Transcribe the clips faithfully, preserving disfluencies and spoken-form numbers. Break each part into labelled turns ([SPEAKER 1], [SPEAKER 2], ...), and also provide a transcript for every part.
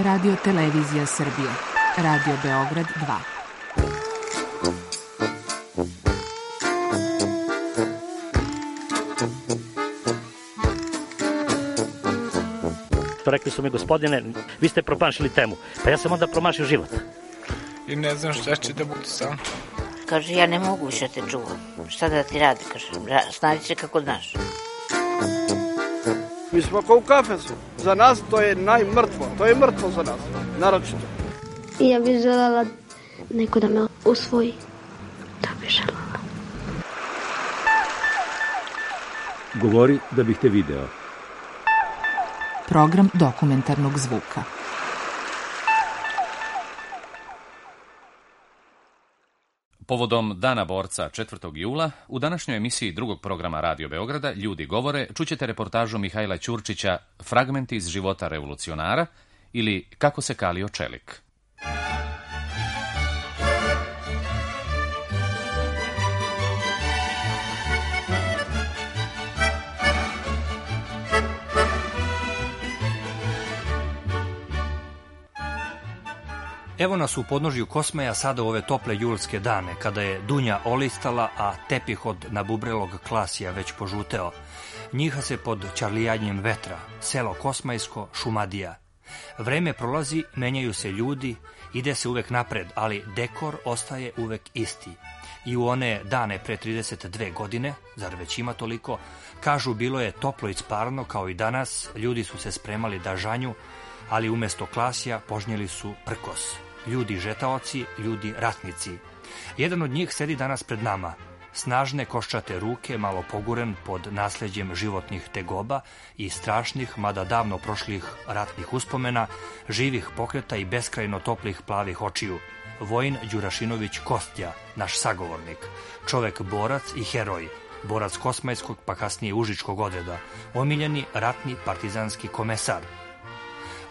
[SPEAKER 1] Radio Televizija Srbije. Radio Beograd dva.
[SPEAKER 2] Rekli su mi, gospodine, vi ste promašili temu. Pa ja sam onda promašio život.
[SPEAKER 3] I ne znam šta će da bude sam.
[SPEAKER 4] Kaže, ja ne mogu više te čuvam. Šta da ti radi, kaže, snađi se kako znaš.
[SPEAKER 5] Mi smo kao u kafesu. Za nas to je najmrtvo. To je mrtvo za nas, naročito.
[SPEAKER 6] I ja bih željela neko da me usvoji. To bih željela.
[SPEAKER 7] Govori da bih te video.
[SPEAKER 1] Program dokumentarnog zvuka.
[SPEAKER 8] Povodom Dana borca četvrtog jula, u današnjoj emisiji drugog programa Radio Beograda Ljudi govore čućete reportažu Mihajla Ćurčića Fragmenti iz života revolucionara ili Kako se kalio čelik.
[SPEAKER 9] Evo nas u podnožju Kosmaja sada u ove tople julske dane, kada je dunja olistala, a tepih od nabubrelog klasija već požuteo. Njiha se pod čarlijanjem vetra, selo Kosmajsko, Šumadija. Vreme prolazi, menjaju se ljudi, ide se uvek napred, ali dekor ostaje uvek isti. I u one dane pre trideset dve godine, zar već ima toliko, kažu bilo je toplo i sparno kao i danas, ljudi su se spremali da žanju, ali umesto klasija požnjeli su prkos. Ljudi žetaoci, ljudi ratnici. Jedan od njih sedi danas pred nama. Snažne koščate ruke, malo poguren pod nasleđem životnih tegoba i strašnih, mada davno prošlih ratnih uspomena, živih pokreta i beskrajno toplih plavih očiju. Vojin Đurašinović Kostja, naš sagovornik. Čovek borac i heroj. Borac Kosmajskog pa kasnije Užičkog odreda. Omiljeni ratni partizanski komesar.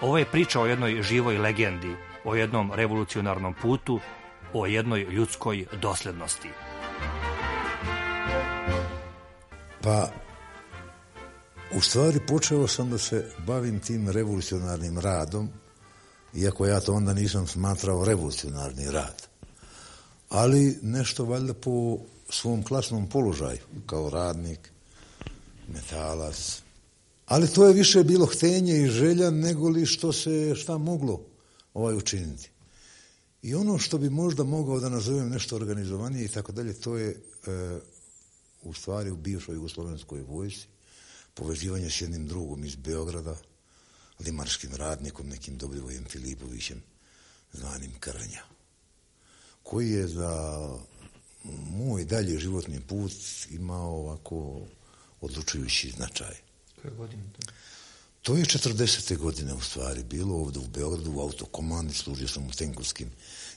[SPEAKER 9] Ovo je priča o jednoj živoj legendi, o jednom revolucionarnom putu, o jednoj ljudskoj doslednosti.
[SPEAKER 10] Pa, u stvari počeo sam da se bavim tim revolucionarnim radom, iako ja to onda nisam smatrao revolucionarni rad. Ali nešto valjda po svom klasnom položaju, kao radnik, metalac. Ali to je više bilo htenje i želja nego li što se šta moglo ovaj učiniti. I ono što bi možda mogao da nazovem nešto organizovanije i tako dalje, to je e, u stvari u bivšoj jugoslovenskoj vojsci povezivanje s jednim drugom iz Beograda, limarskim radnikom, nekim Dobrivojem Filipovićem, zvanim Krnja, koji je za moj dalji životni put imao ovako odlučujući značaj.
[SPEAKER 9] Koje godine to?
[SPEAKER 10] To je četrdesete godine u stvari bilo ovdje u Beogradu, u autokomandi, služio sam u tenkovskim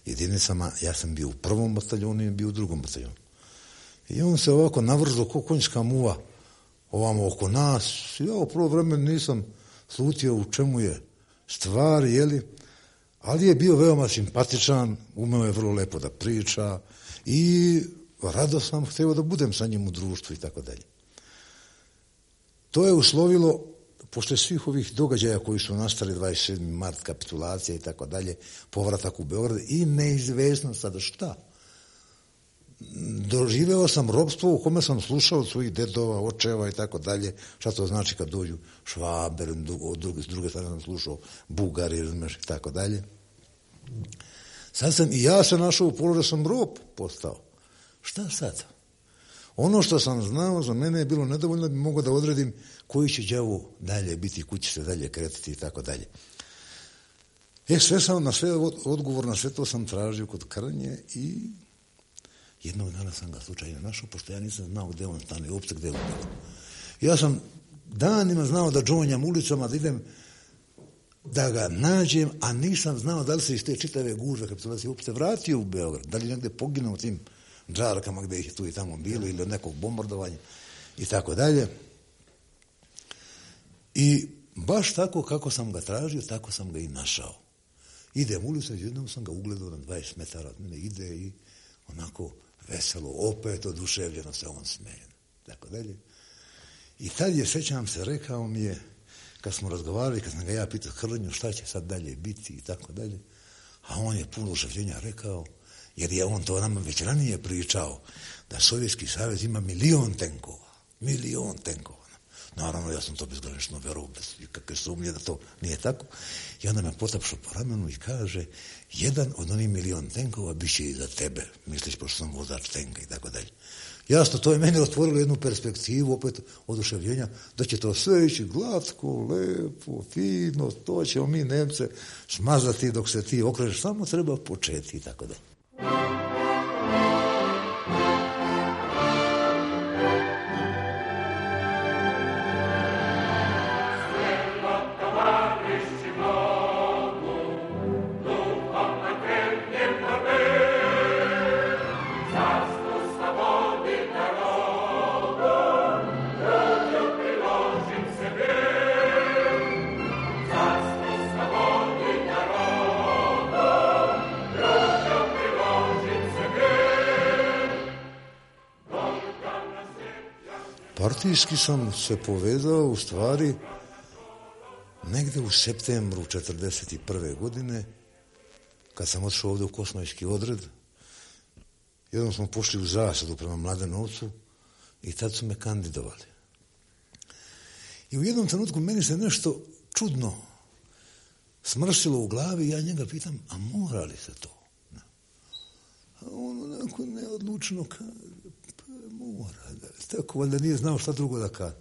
[SPEAKER 10] jedinicama, ja sam bio u prvom bataljonu i bio u drugom bataljonu. I on se ovako navrzo ko konjska muva ovamo oko nas. Ja u prvo vreme nisam slutio u čemu je stvar, jeli, ali je bio veoma simpatičan, umeo je vrlo lepo da priča i rado sam htio da budem sa njim u društvu i tako dalje. To je uslovilo, posle svih ovih događaja koji su nastali dvadeset sedmi mart, kapitulacija i tako dalje, povratak u Beograd i neizvesno sada šta. Doživeo sam ropstvo u kome sam slušao od svojih dedova, očeva i tako dalje, šta to znači kad dođu Švaber, od druge, s druge strane sam slušao Bugari, razumeš, i tako dalje. Sad sam i ja se našao u položaju, sam rob postao. Šta sad? Ono što sam znao za mene je bilo nedovoljno da bi mogao da odredim koji će đavo dalje biti, kući se dalje kretati i tako dalje. E, sve sam, na sve odgovor na sve to sam tražio kod Krnje i jednog dana sam ga slučajno našao, pošto ja nisam znao gde on stane, uopšte gde on bilo. Ja sam danima znao da džonjam ulicama, da idem, da ga nađem, a nisam znao da li se iz te čitave gužve kapitulacije uopšte vratio u Beograd, da li negde poginuo tim džarkama gde ih tu i tamo bilo ili od nekog bombardovanja i tako dalje. I baš tako kako sam ga tražio, tako sam ga i našao. Idem ulicom, jednom sam ga ugledao na dvadeset metara od mene, ide i onako veselo, opet oduševljeno se on smeje. Tako dalje. I tad je, sećam se, rekao mi je, kad smo razgovarali, kad sam ga ja pitao Hrnju šta će sad dalje biti i tako dalje, a on je puno oduševljenja rekao, jer je on to nama već ranije pričao, da Sovjetski savez ima milion tenkova. Milion tenkova. Naravno, ja sam to bezgranično verovao, bez kakve sumnje da to nije tako. I onda me potapšao po ramenu i kaže, jedan od onih milion tenkova bit će i za tebe. Misliš, pošto sam vozač tenka i tako dalje. Jasno, to je meni otvorilo jednu perspektivu, opet oduševljenja, da će to sve ići glatko, lepo, fino, to ćemo mi Nemce smazati dok se ti okreneš, samo treba početi i tako dalje. Partijski sam se povezao u stvari negde u septembru četrdeset prve godine, kad sam otišao ovde u Kosmajski odred. Jednom smo pošli u zasadu prema Mladenovcu i tad su me kandidovali. I u jednom trenutku meni se nešto čudno smrsilo u glavi i ja njega pitam, a mora li se to? A on onako neodlučno kaže, pa mora. Tako valjda nije znao šta drugo da kaže.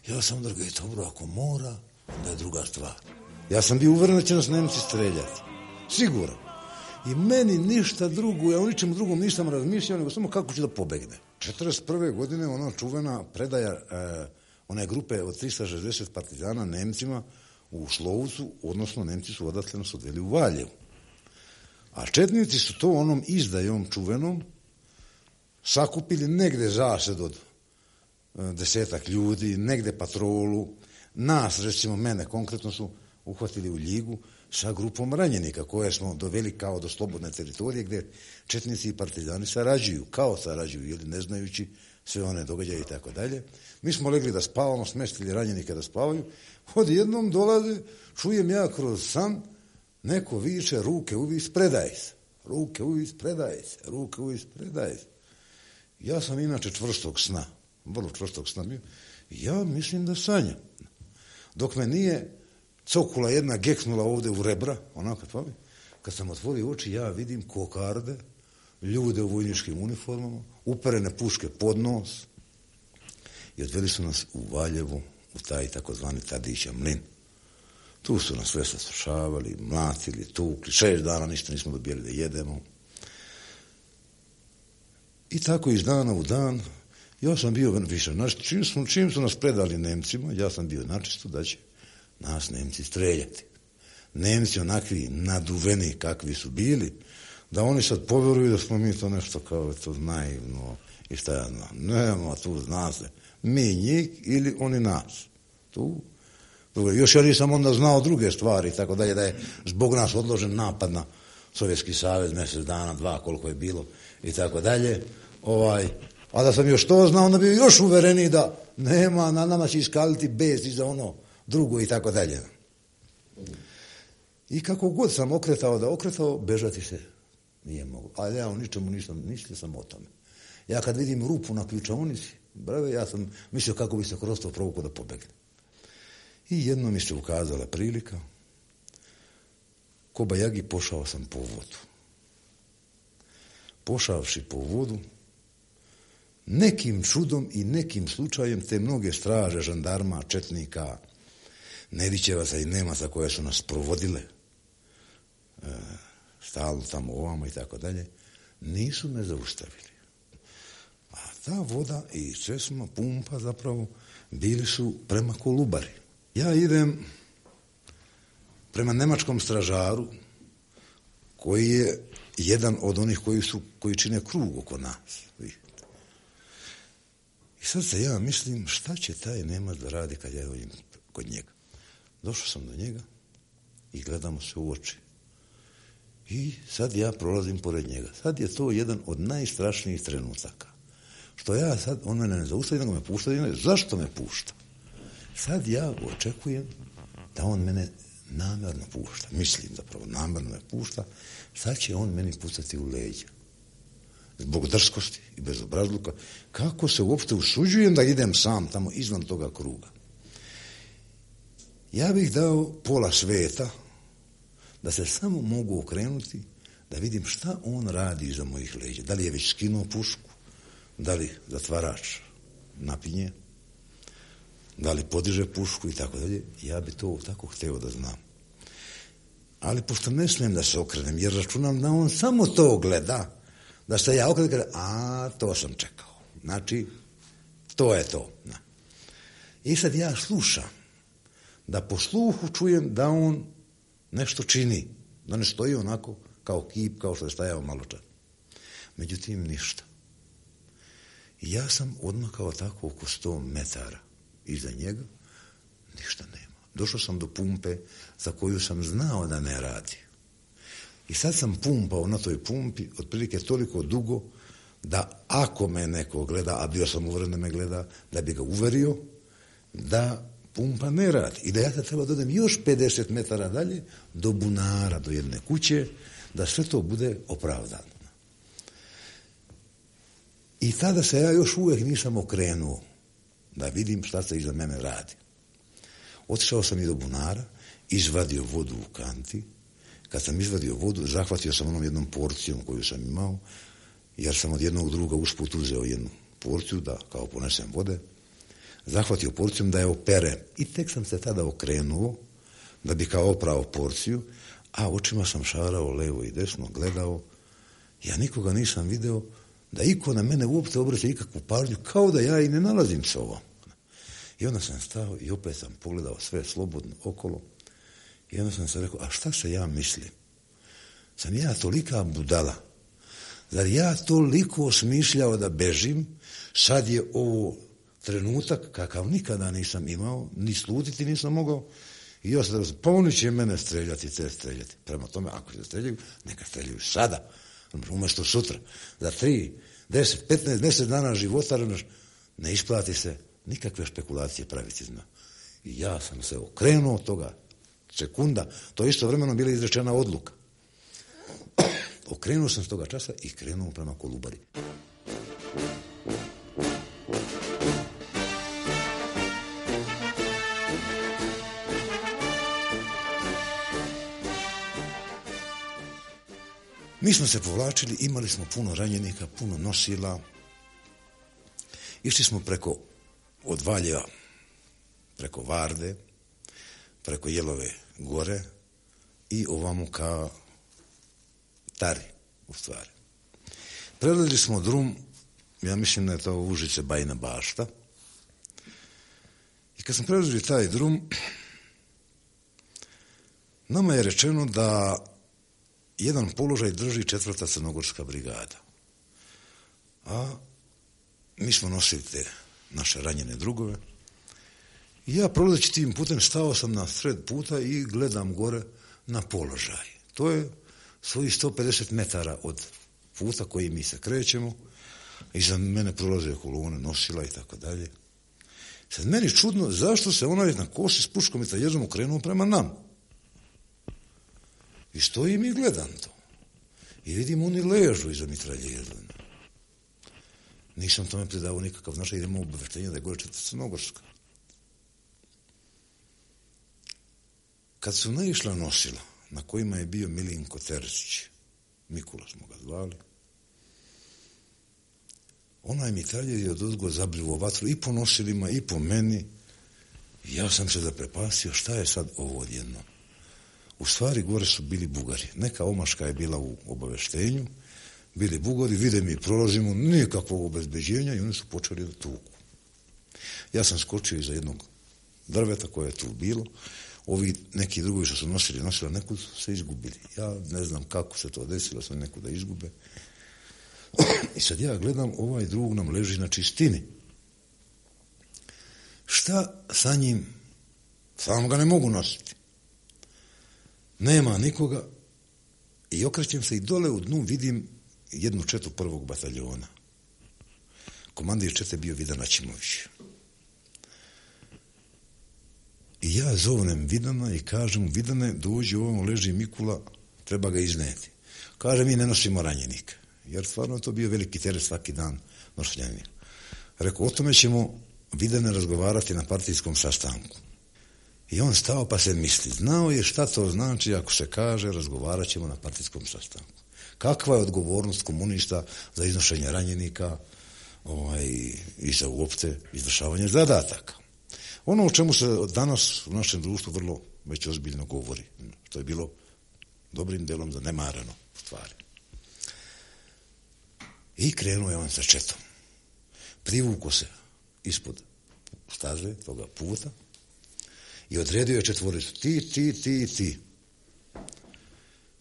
[SPEAKER 10] Ja sam da ga je dobro, ako mora, onda je druga stvar. Ja sam bio uveren da će nas Nemci streljati. Sigurno. I meni ništa drugo, ja o ničemu drugom nisam razmišljao, nego samo kako ću da pobegne. četrdeset prve godine ona čuvena predaja eh, one grupe od tristo šezdeset partizana Nemcima u Slovcu, odnosno Nemci su odatle nas odveli u Valjevu. A četnici su to onom izdajom čuvenom sakupili negde zased od desetak ljudi, negde patrolu. Nas, recimo mene, konkretno su uhvatili u Ljigu sa grupom ranjenika koje smo doveli kao do slobodne teritorije gde četnici i partizani sarađuju, kao sarađuju, ili ne znajući sve one događaje i tako dalje. Mi smo legli da spavamo, smestili ranjenike da spavaju. Odjednom dolaze, čujem ja kroz san, neko viče, ruke uvis, predaj se. Ruke uvis, predaj se. Ruke uvis, predaj se. Ja sam inače čvrstog sna, vrlo čvrstog sna bio, ja mislim da sanjam. Dok me nije cokula jedna geknula ovde u rebra, onako to mi, kad sam otvorio oči, ja vidim kokarde, ljude u vojničkim uniformama, uperene puške pod nos i odveli su nas u Valjevu, u taj takozvani Tadića mlin. Tu su nas sve saslušavali, mlatili, tukli, šest dana ništa nismo dobijeli da jedemo. I tako iz dana u dan, ja sam bio više, čim su, čim su nas predali Nemcima, ja sam bio načisto da će nas Nemci streljati. Nemci onakvi naduveni kakvi su bili, da oni sad poveruju da smo mi to nešto kao to naivno i šta ja znam. Nema tu, zna se, mi njih ili oni nas. Tu. Još ja nisam onda znao druge stvari, tako dalje, da je zbog nas odložen napad na Sovjetski savez, mjesec dana, dva, koliko je bilo i tako dalje. Ovaj, a da sam još to znao, onda bi još uvereniji da nema, na nama će iskaliti bez i za ono drugo i tako dalje. I kako god sam okretao da okretao, bežati se nije mogu. Ali ja o ničemu nisam, mislio sam o tome. Ja kad vidim rupu na ključaonici, brave, ja sam mislio kako bi se kroz to provukao da pobegne. I jedno mi se ukazala prilika, ko bajagi pošao sam po vodu. Pošavši po vodu, nekim čudom i nekim slučajem te mnoge straže, žandarma, četnika, Nedićevaca i Nemaca koje su nas provodile, e, stalno tamo ovamo i tako dalje, nisu me zaustavili. A ta voda i česma, pumpa zapravo, bili su prema Kolubari. Ja idem prema nemačkom stražaru, koji je jedan od onih koji su, koji čine krug oko nas. I sad se ja mislim, šta će taj Nemac da radi kad ja dođem kod njega. Došao sam do njega i gledamo se u oči. I sad ja prolazim pored njega. Sad je to jedan od najstrašnijih trenutaka. Što ja sad, on mene ne zaustavi, nego me pušta. Zašto me pušta? Sad ja očekujem da on mene namjerno pušta, mislim zapravo namjerno me pušta, sad će on meni pucati u leđa. Zbog drskosti i bezobrazluka, kako se uopšte usuđujem da idem sam tamo izvan toga kruga. Ja bih dao pola sveta da se samo mogu okrenuti, da vidim šta on radi iza mojih leđa. Da li je već skinuo pušku, da li zatvarač napinje, da li podiže pušku i tako dalje. Ja bi to tako hteo da znam. Ali pošto ne smijem da se okrenem, jer računam da on samo to gleda, da se ja okrenem, a to sam čekao. Znači, to je to. I sad ja slušam, da po sluhu čujem da on nešto čini, da ne stoji onako kao kip, kao što je stajao malo čas. Međutim, ništa. I ja sam odmakao tako oko sto metara iza njega, ništa nema. Došao sam do pumpe za koju sam znao da ne radi. I sad sam pumpao na toj pumpi otprilike toliko dugo da ako me neko gleda, a bio sam uveren da me gleda, da bi ga uverio da pumpa ne radi. I da ja sad treba da odem još pedeset metara dalje do bunara, do jedne kuće, da sve to bude opravdano. I tada se ja još uvijek nisam okrenuo da vidim šta se iza mene radi. Otišao sam i do bunara, izvadio vodu u kanti. Kad sam izvadio vodu, zahvatio sam onom jednom porcijom koju sam imao, jer sam od jednog druga usput uzeo jednu porciju da kao ponesem vode. Zahvatio porcijom da je operem. I tek sam se tada okrenuo da bi kao oprao porciju, a očima sam šarao levo i desno, gledao. Ja nikoga nisam video da iko na mene uopšte obraća ikakvu pažnju, kao da ja i ne nalazim se ovom. I onda sam stao i opet sam pogledao sve slobodno okolo i onda sam se rekao, a šta se ja mislim? Sam ja tolika budala? Zar ja toliko smišljao da bežim? Sad je ovo trenutak kakav nikada nisam imao, ni slutiti nisam mogao. I ja sam rekao, pa oni će mene streljati, te streljati. Prema tome, ako se streljaju, neka streljaju sada. Umjesto sutra. Za tri, deset, petnaest, deset dana života ne isplati se nikakve špekulacije praviti. Zna. I ja sam se okrenuo od toga sekunda. To je isto vremeno bila izrečena odluka. Okrenuo sam s toga časa i krenuo prema Kolubari. Mi smo se povlačili, imali smo puno ranjenika, puno nosila. Išli smo preko od Valjeva, preko Varde, preko Jelove gore i ovamo ka Tari, u stvari. Prelazili smo drum, ja mislim da je to Užice Bajina Bašta. I kad smo prelazili taj drum, nama je rečeno da jedan položaj drži četvrta crnogorska brigada. A mi smo nosili te naše ranjene drugove. I ja prolazeći tim putem stao sam na sred puta i gledam gore na položaj. To je svojih sto pedeset metara od puta koji mi se krećemo. Iza mene prolaze kolone, nosila i tako dalje. Sad meni čudno zašto se onaj na kosi s puškom i taježom okrenuo prema nam. I stojim i gledam to. I vidim oni ležu iza mitraljeza. Nisam tome predavao nikakav značaj, idemo obaveštenje da je gore četvrta crnogorska. Kad su naišla nosila, na kojima je bio Milinko Terzić, Mikula smo ga zvali, onaj mitraljer je odozgo zabrivo vatru i po nosilima i po meni. I ja sam se zaprepastio šta je sad ovo odjedno. U stvari gore su bili Bugari. Neka omaška je bila u obaveštenju, bili Bugari, vide mi prolazimo, nikakvog obezbeđenja i oni su počeli da tuku. Ja sam skočio iza jednog drveta koje je tu bilo. Ovi neki drugi što su nosili, nosili nekud su se izgubili. Ja ne znam kako se to desilo, sam nekud da izgube. I sad ja gledam, ovaj drug nam leži na čistini. Šta sa njim? Samo ga ne mogu nositi. Nema nikoga i okrećem se i dole u dnu vidim jednu četu prvog bataljona. Komandir čete bio Vidan Aćimović. I ja zovnem Vidana i kažem, Vidane, dođi, ovamo leži Mikula, treba ga izneti. Kaže, mi ne nosimo ranjenika, jer stvarno je to bio veliki teret svaki dan nošenja. Rekao, o tome ćemo, Vidane, razgovarati na partijskom sastanku. I on stao pa se misli, znao je šta to znači ako se kaže razgovarat ćemo na partijskom sastanku. Kakva je odgovornost komunista za iznošenje ranjenika ovaj, i za uopšte izvršavanje zadataka. Ono o čemu se danas u našem društvu vrlo već ozbiljno govori, to je bilo dobrim delom zanemareno u stvari. I krenuo je on sa četom. Privuko se ispod staze toga puta i odredio je četvoricu. Ti, ti, ti, ti.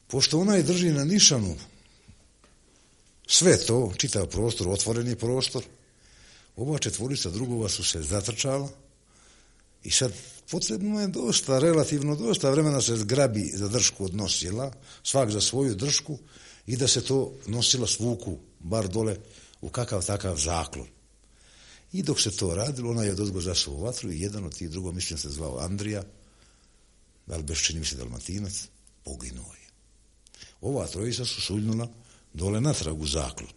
[SPEAKER 10] Pošto ona je drži na nišanu sve to, čitav prostor, otvoreni prostor, ova četvorica drugova su se zatrčala i sad potrebno je dosta, relativno dosta vremena se zgrabi za držku od nosila, svak za svoju držku i da se to nosila svuku, bar dole u kakav takav zaklon. I dok se to radilo, ona je odozgo zasuo vatru i jedan od tih drugo, mislim se zvao Andrija, da li beš čini mi se Dalmatinac, poginuo je. Ova trojica su suljnula dole natrag u zaklon.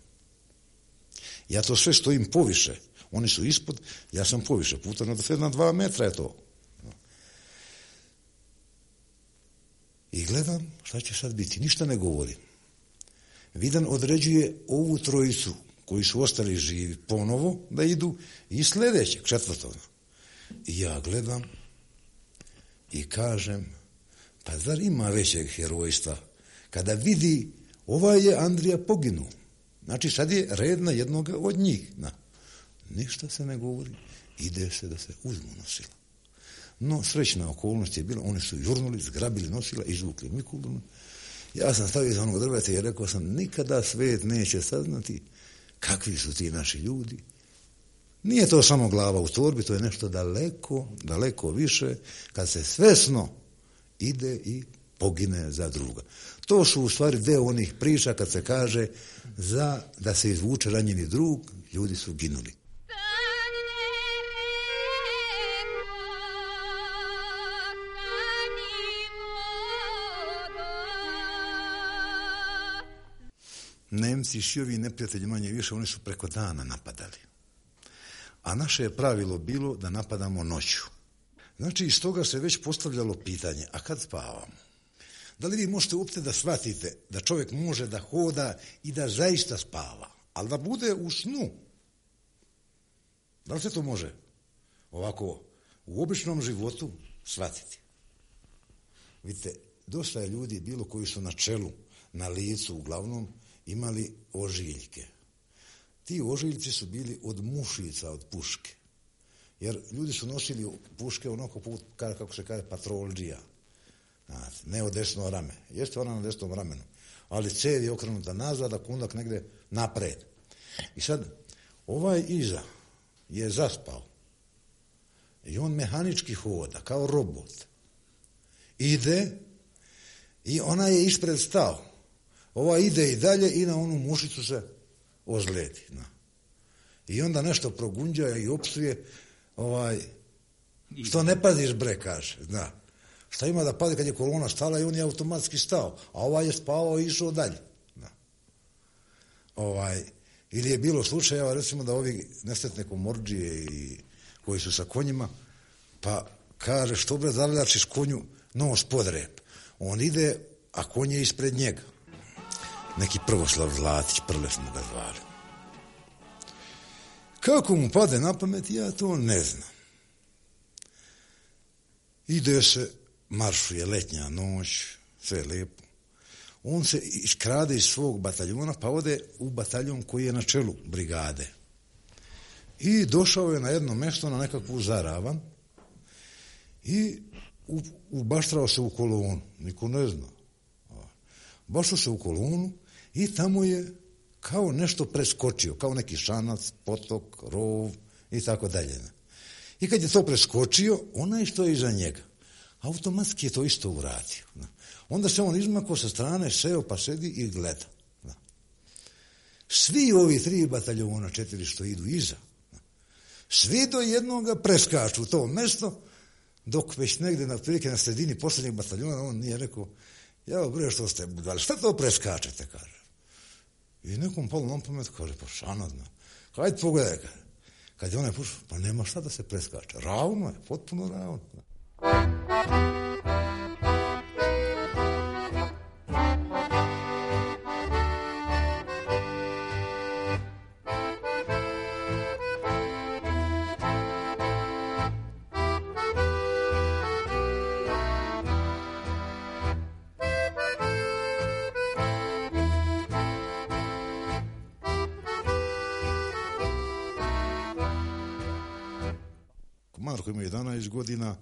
[SPEAKER 10] Ja to sve stojim poviše, oni su ispod, ja sam poviše, puta na, na dva metra je to. I gledam, šta će sad biti, ništa ne govorim. Vidan određuje ovu trojicu koji su ostali živi ponovo da idu i sljedećeg, četvrtog. I ja gledam i kažem, pa zar ima većeg herojstva kada vidi ovaj je Andrija poginuo. Znači sad je red na jednoga od njih. Na. Ništa se ne govori, ide se da se uzmu nosila. No, srećna okolnost je bila, oni su jurnuli, zgrabili nosila, izvukli Mikulu. Ja sam stavio za onog drveta i rekao sam, nikada svet neće saznati kakvi su ti naši ljudi. Nije to samo glava u torbi, to je nešto daleko, daleko više, kad se svesno ide i pogine za druga. To su u stvari deo onih priča kad se kaže za da se izvuče ranjeni drug, ljudi su ginuli. Nemci, šiovi neprijatelji manje više, oni su preko dana napadali. A naše je pravilo bilo da napadamo noću. Znači, iz toga se već postavljalo pitanje, a kad spavamo? Da li vi možete uopšte da shvatite da čovjek može da hoda i da zaista spava, ali da bude u snu? Da li se to može ovako u običnom životu shvatiti? Vidite, dosta je ljudi bilo koji su na čelu, na licu uglavnom, imali ožiljke. Ti ožiljci su bili od mušica, od puške. Jer ljudi su nosili puške onako put, kako se kaže, patrolđija. Ne od desno rame. Jeste ona na desnom ramenu. Ali cev je okrenuta nazad, a kundak negde napred. I sad, ovaj iza je zaspao. I on mehanički hoda, kao robot. Ide i ona je ispred stao. Ova ide i dalje i na onu mušicu se ozledi. No. I onda nešto progunđa i opsuje, ovaj, što ne paziš bre, kaže. Da. Šta ima da padi kad je kolona stala i on je automatski stao, a ovaj je spavao i išao dalje. Da. Ovaj, ili je bilo slučajeva, recimo da ovi nesretne komorđije i koji su sa konjima, pa kaže što bre zavljačiš konju nos pod rep. On ide, a konj je ispred njega. Neki Prvoslav Zlatić, Prle smo ga zvali. Kako mu pade na pamet, ja to ne znam. Ide se, maršuje letnja noć, sve lijepo. On se iskrade iz svog bataljona, pa ode u bataljon koji je na čelu brigade. I došao je na jedno mjesto, na nekakvu zaravan i ubaštrao se u kolonu. Niko ne zna. Bašao se u kolonu i tamo je kao nešto preskočio, kao neki šanac, potok, rov i tako dalje. I kad je to preskočio, onaj što je iza njega, automatski je to isto uradio. Onda se on izmakao sa strane, seo pa sedi i gleda. Svi ovi tri bataljona, četiri što idu iza, svi do jednoga preskaču to mesto dok već negde na prilike na sredini posljednjeg bataljona on nije rekao, ja bre što ste budali, šta to preskačete, kaže. I nekom palo na pamet, kaže, pa šanadno. Hajde pogledaj, kaže. Kad je onaj pušao, pa nema šta da se preskače. Ravno je, potpuno ravno. Marko ima jedanaest godina,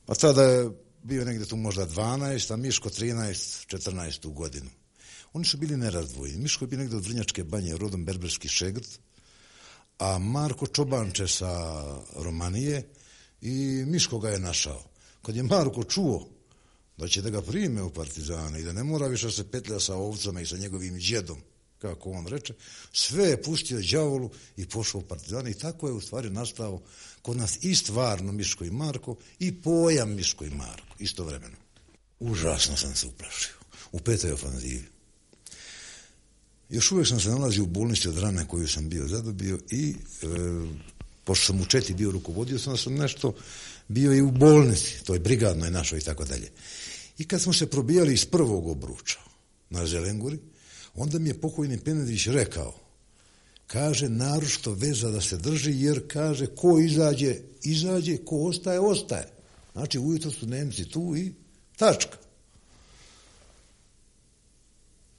[SPEAKER 10] a tada je bio negdje tu možda dvanaest, a Miško trinaest, četrnaest godinu. Oni su bili nerazdvojeni. Miško je bio negdje od Vrnjačke banje, rodom berberski šegrt, a Marko čobanče sa Romanije i Miško ga je našao. Kad je Marko čuo da će da ga prime u partizane i da ne mora više se petlja sa ovcama i sa njegovim djedom, kako on reče, sve je pustio đavolu i pošao u partizane i tako je u stvari nastao kod nas i stvarno Miško i Marko i pojam Miško i Marko, istovremeno. Užasno sam se uplašio. U petoj ofanzivi. Još uvijek sam se nalazio u bolnici od rane koju sam bio zadobio i e, pošto sam u četi bio rukovodio, sam sam nešto bio i u bolnici, toj brigadnoj našoj i tako dalje. I kad smo se probijali iz prvog obruča na Zelenguri, onda mi je pokojni Penedić rekao, kaže, naročito veza da se drži, jer kaže, ko izađe, izađe, ko ostaje, ostaje. Znači, ujutro su Nemci tu i tačka.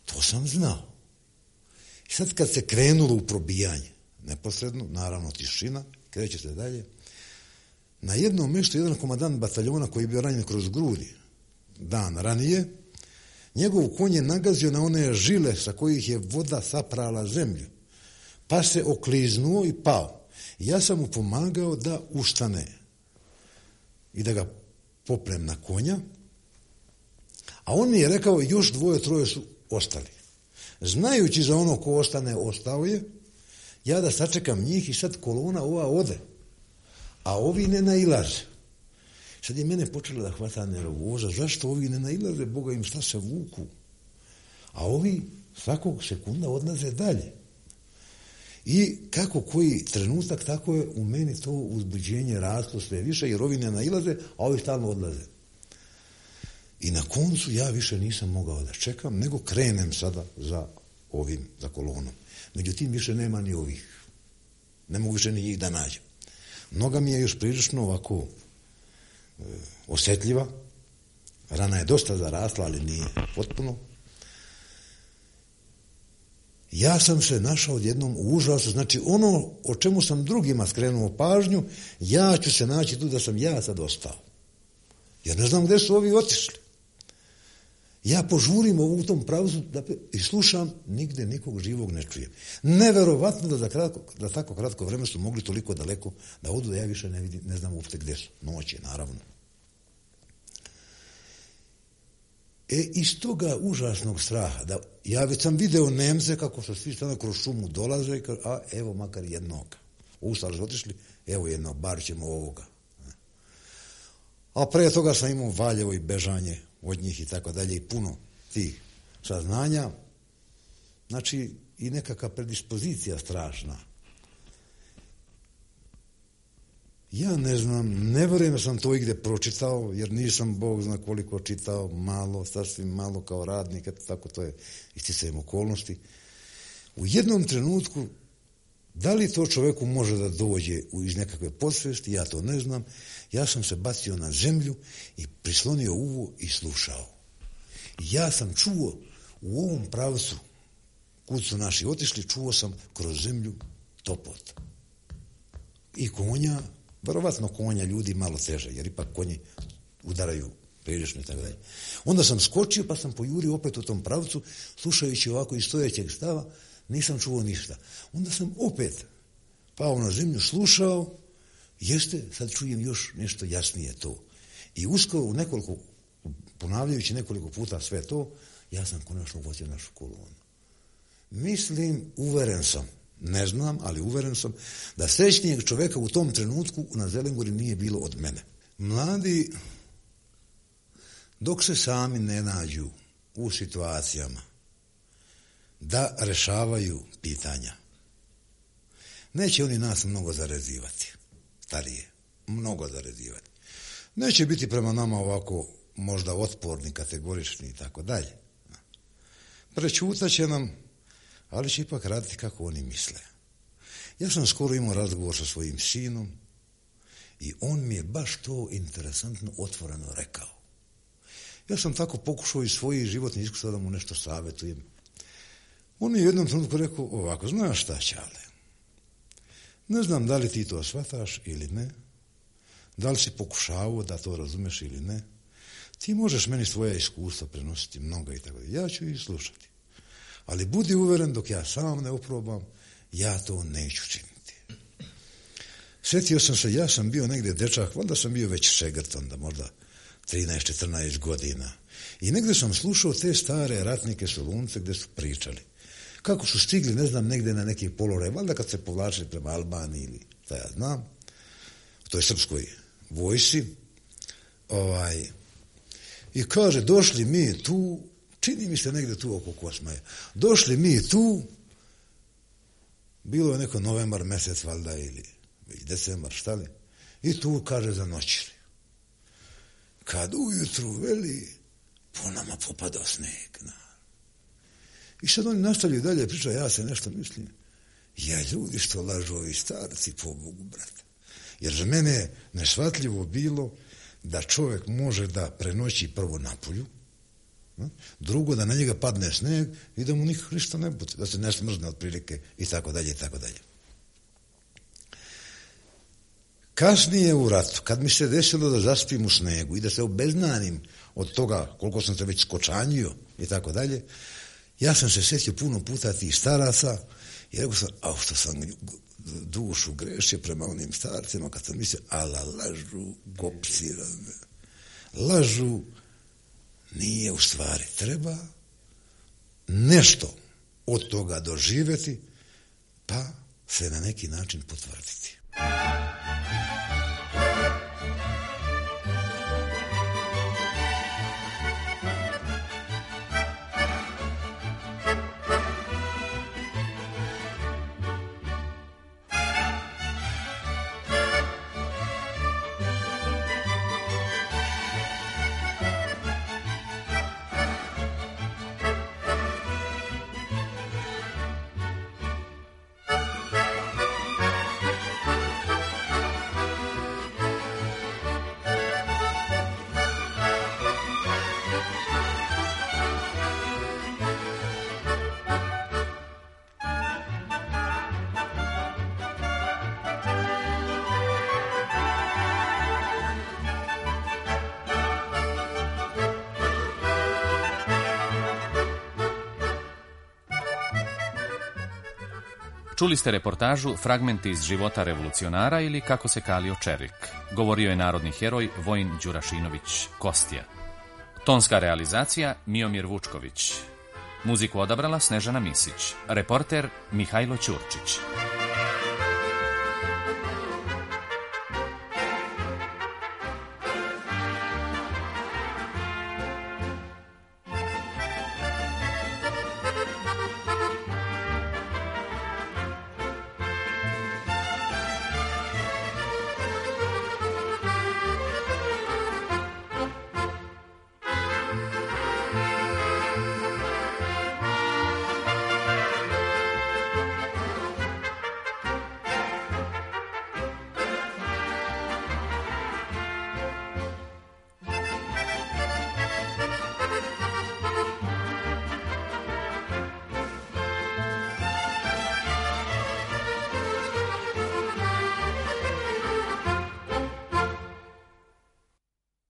[SPEAKER 10] To sam znao. I sad kad se krenulo u probijanje, neposredno, naravno tišina, kreće se dalje, na jednom mjestu jedan komandant bataljona koji je bio ranjen kroz grudi dan ranije, njegov konj je nagazio na one žile sa kojih je voda saprala zemlju, pa se okliznuo i pao. Ja sam mu pomagao da ustane i da ga popnem na konja, a on mi je rekao još dvoje, troje su ostali. Znajući za ono ko ostane, ostao je, ja da sačekam njih i sad kolona ova ode, a ovi ne nailaze. Sad je mene počela da hvata nervoza, zašto ovi ne nailaze, Boga im šta se vuku, a ovi svakog sekunda odlaze dalje. I kako koji trenutak, tako je u meni to uzbuđenje raslo sve više, jer ovi ne nailaze, a ovi stalno odlaze. I na koncu ja više nisam mogao da čekam, nego krenem sada za ovim, za kolonom. Međutim, više nema ni ovih. Ne mogu više ni njih da nađem. Noga mi je još prilično ovako e, osjetljiva. Rana je dosta zarasla, ali nije potpuno. Ja sam se našao odjednom u užasu. Znači, ono o čemu sam drugima skrenuo pažnju, ja ću se naći tu da sam ja sad ostao. Jer ne znam gde su ovi otišli. Ja požurim u tom pravcu da, i slušam, nigde nikog živog ne čujem. Neverovatno da za kratko, da tako kratko vreme su mogli toliko daleko da odu, da ja više ne vidim, ne znam uopšte gde su. Noć je, naravno. E, iz toga užasnog straha, da ja već sam video Nemce kako su svi stano kroz šumu dolaze i kaže, a evo makar jednog. Ustali su otišli, evo jednog, bar ćemo ovoga. A pre toga sam imao Valjevo i bežanje od njih i tako dalje i puno tih saznanja. Znači i nekakva predispozicija strašna. Ja ne znam, ne vjerujem da sam to igde pročitao, jer nisam Bog zna koliko čitao, malo, sasvim malo kao radnik, eto tako to je isticajem okolnosti. U jednom trenutku, da li to čovjeku može da dođe iz nekakve podsvesti, ja to ne znam, ja sam se bacio na zemlju i prislonio uvo i slušao. Ja sam čuo u ovom pravcu, kud su naši otišli, čuo sam kroz zemlju topot. I konja, verovatno konja ljudi malo teže, jer ipak konji udaraju prilično i tako dalje. Onda sam skočio pa sam pojurio opet u tom pravcu, slušajući ovako iz stojećeg stava, nisam čuo ništa. Onda sam opet pao na zemlju, slušao, jeste, sad čujem još nešto jasnije to. I uskoro u nekoliko, ponavljajući nekoliko puta sve to, ja sam konačno uvatio našu kolonu. Mislim, uveren sam, ne znam, ali uveren sam da srećnijeg čovjeka u tom trenutku na Zelenguri nije bilo od mene. Mladi, dok se sami ne nađu u situacijama da rešavaju pitanja, neće oni nas mnogo zarezivati, starije, mnogo zarezivati. Neće biti prema nama ovako možda otporni, kategorični i tako dalje. Prečutat će nam, ali će ipak raditi kako oni misle. Ja sam skoro imao razgovor sa svojim sinom i on mi je baš to interesantno otvoreno rekao. Ja sam tako pokušao iz svojih životnih iskustva da mu nešto savjetujem. On mi je u jednom trenutku rekao ovako, znaš šta, Ćale, ne znam da li ti to shvataš ili ne, da li si pokušavao da to razumeš ili ne, ti možeš meni svoja iskustva prenositi mnoga i tako. Ja ću ih slušati. Ali budi uveren dok ja sam ne oprobam, ja to neću činiti. Sjetio sam se, ja sam bio negdje dečak, valjda sam bio već šegrt onda, možda trinaest četrnaest godina. I negdje sam slušao te stare ratnike Solunce gdje su pričali. Kako su stigli, ne znam, negdje na neki položaj, valjda kad se povlačili prema Albaniji ili šta ja znam, u toj srpskoj vojsi. Ovaj, I kaže, došli mi tu, čini mi se negdje tu oko Kosmaja, došli mi tu, bilo je neko novembar mjesec, valjda, ili decembar, šta li, i tu, kaže, zanoćili. Kad ujutru, veli, po nama popadao sneg. Na. I sad oni nastavljaju dalje priča, ja se nešto mislim, ja ljudi što lažu ovi starci, po Bogu, brate. Jer za mene je neshvatljivo bilo da čovjek može da prenoći prvo napolju, drugo da na njega padne sneg i da mu nikako ništa ne bude, da se ne smrzne od prilike i tako dalje i tako dalje. Kasnije u ratu, kad mi se desilo da zaspim u snegu i da se obeznanim od toga koliko sam se već skočanjio i tako dalje, ja sam se sjetio puno puta tih staraca i rekao sam, a što sam dušu grešio prema onim starcima, kad sam mislio, ala lažu gopci, lažu, nije u stvari, treba nešto od toga doživjeti, pa se na neki način potvrditi.
[SPEAKER 8] Čuli ste reportažu Fragmenti iz života revolucionara ili Kako se kalio čelik. Govorio je narodni heroj Vojin Đurašinović Kostja. Tonska realizacija Miomir Vučković. Muziku odabrala Snežana Misić. Reporter Mihajlo Ćurčić.